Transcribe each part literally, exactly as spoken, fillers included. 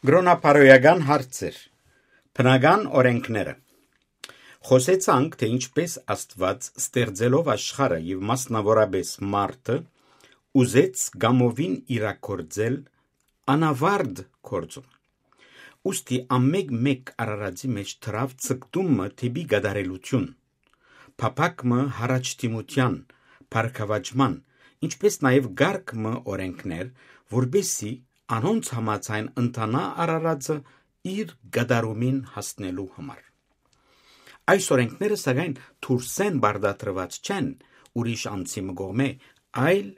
Կրոնապարոյական հարցեր։ Բնական օրէնքները։ Խօսեցանք, թէ ինչպէս Աստուած, ստեղծելով աշխարհը եւ մասնաւորապէս մարդը, ուզեց կամովին իրագործել անաւարտ գործում։ Ուստի ամէկ-մէկ արարածի մէջ դրաւ ձգտումը դէպի կատարելութիւն, փափաք մը յառաջդիմութեան, բարգաւաճման, ինչպէս նաեւ կարգ մը օրէնքներ, որպէսզի անոնց համաձայն ընթանայ արարածը իր կատարումին հասնելու համար։ Այս օրէնքները, սակայն, դուրսէն պարտադրուած չեն ուրիշ անձի մը կողմէ, այլ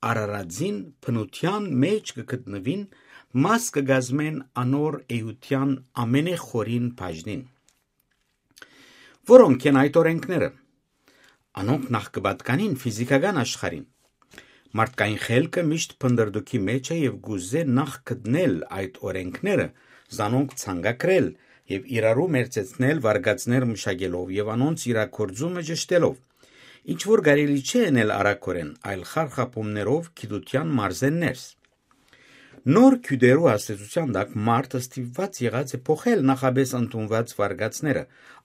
արարածին բնութեան մէջ կը գտնուին, մաս կը կազմեն անոր էութեան ամենեխորին բաժնին։ Որո՞նք են այդ օրէնքները։ Անոնք նախ կը պատկանին ֆիզիքական աշխարհին։ Մարդկային խելքը միշտ փնտռտուքի մէջ է եւ կ'ուզէ նախ գտնել այդ օրէնքները, զանոնք ցանկագրել եւ իրարու մերձեցնել վարկածներ մշակելով եւ անոնց իրագործումը ճշդելով։ Ինչ որ կարելի չէ ընել արագօրէն, այլ խարխափումներով գիտութեան մարզէն ներս։ Նոր գիւտերու ազդեցութեան տակ մարդը ստիպուած եղած է փոխել նախապէս ընդունուած վարկածները,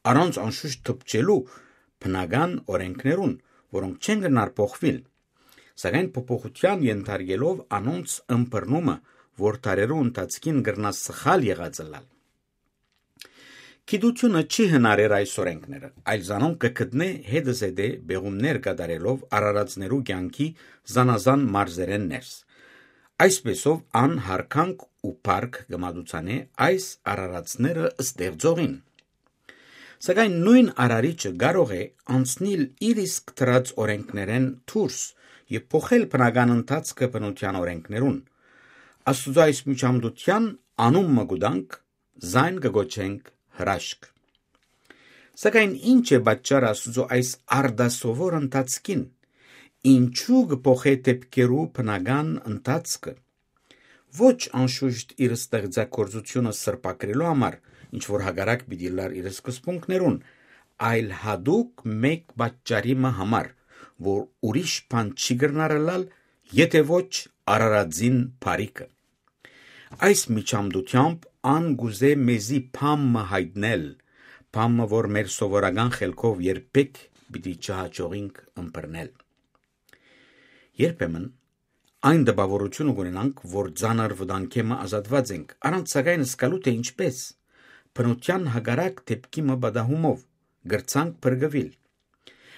առանց անշուշտ դպչելու բնական օրէնքներուն, որոնք չեն կրնար փոխուիլ, սակայն փոփոխութեան ենթարկելով անոնց ըմբռնումը, որ դարերու ընթացքին կրնայ սխալ եղած ըլլալ։ Գիտութիւնը չի հնարեր այս օրէնքները, այլ զանոնք կը գտնէ հետզհետէ պեղումներ կատարելով արարածներու կեանքի զանազան մարզերէն ներս։ Այսպէսով ան յարգանք ու փառք կը մատուցանէ այս արարածները ստեղծողին։ Սակայն նոյն արարիչը կարող է անցնիլ իր իսկ դրած օրէնքներէն դուրս եւ փոխել բնական ընթացքը բնութեան օրէնքներուն։ Աստուծոյ այս միջամտութեան անուն մը կու տանք, զայն կը կոչենք հրաշք։ Սակայն ի՞նչ է պատճառը Աստուծոյ այս արտասովոր ընթացքին։ Ինչո՞ւ կը փոխէ դէպքերու բնական ընթացքը։ Ոչ անշուշտ իր ստեղծագործութիւնը սրբագրելու համար, ինչ որ հակառակ պիտի ըլլար իր սկզբունքներուն, այլ յատուկ մէկ պատճառի մը համար, որ ուրիշ բան չի կրնար ըլլալ, եթէ ոչ արարածին բարիքը։ Այս միջամտութեամբ ան կ'ուզէ մեզի բան մը յայտնել, բան մը, որ մեր սովորական խելքով երբեք պիտի չհաջողինք ըմբռնել։ Երբեմն այն տպաւորութիւնը կ'ունենանք, որ ծանր վտանգէ մը ազատուած ենք, առանց սակայն զգալու թէ ինչպէս, բնութեան հակառակ դէպքի մը պատահումով, կրցանք փրկուիլ։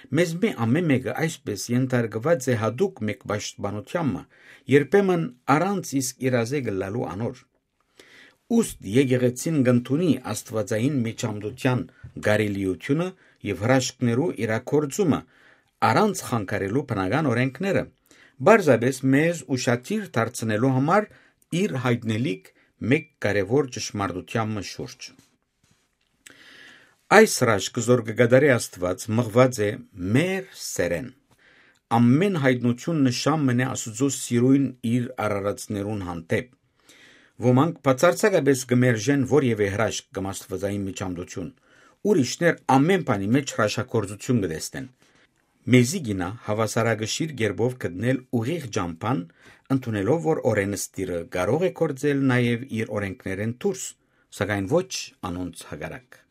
Մեզմէ ամէն մէկը այսպէս ենթարկուած է յատուկ մէկ պաշտպանութեան մը, երբեմն առանց իսկ իրազեկ ըլլալու անոր։ Ուստի եկեղեցին կ'ընդունի աստուածային միջամտութեան կարելիութիւնը եւ հրաշքներու իրագործումը, առանց խանգարելու բնական օրէնքները, պարզապէս մեզ ուշադիր դարձնելու համար իր յայտնելիք մէկ կարեւոր ճշմարտութեան մը շուրջ։ Այս հրաշքը, զոր կը կատարէ Աստուած, մղուած է մեր սէրէն։ Ամէն յայտնութիւն նշան մըն է Աստուծոյ սիրոյն իր արարածներուն հանդէպ։ Ոմանք բացարձակապէս կը մերժեն որեւէ հրաշք կամ աստուածային միջամտութիւն, ուրիշներ ամէն բանի մէջ հրաշագործութիւն կը տեսնեն։ Մեզի կ'իյնայ հաւասարակշիռ կերպով գտնել ուղիղ ճամբան, ընդունելով որ օրէնսդիրը կարող է գործել նաեւ իր օրէնքներէն դուրս, սակայն ոչ անոնց հակառակ։